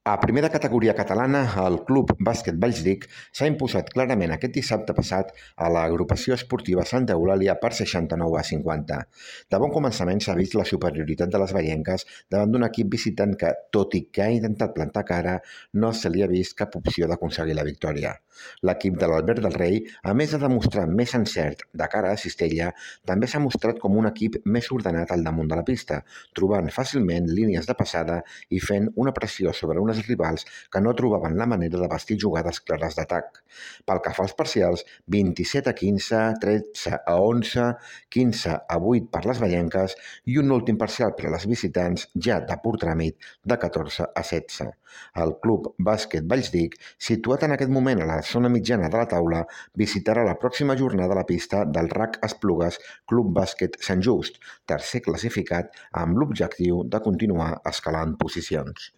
A primera categoria catalana, el Club Bàsquet Vallsdic s'ha imposat clarament aquest dissabte passat a l'agrupació esportiva Santa Eulàlia per 69-50. De bon començament s'ha vist la superioritat de les veienques davant d'un equip visitant que, tot i que ha intentat plantar cara, no se li ha vist cap opció d'aconseguir la victòria. L'equip de l'Albert del Rei, a més de demostrar més encert de cara a Cistella, també s'ha mostrat com un equip més ordenat al damunt de la pista, trobant fàcilment línies de passada i fent una pressió sobre unes rivals que no trobaven la manera de bastir jugades clares d'atac. Pel que fa als parcials, 27-15, 13-11, 15-8 per les veienques i un últim parcial per a les visitants ja de pur tràmit de 14-16. El Club Bàsquet Vallsdic, situat en aquest moment a la zona mitjana de la taula, visitarà la pròxima jornada a la pista del RAC Esplugues Club Bàsquet Sant Just, tercer classificat, amb l'objectiu de continuar escalant posicions.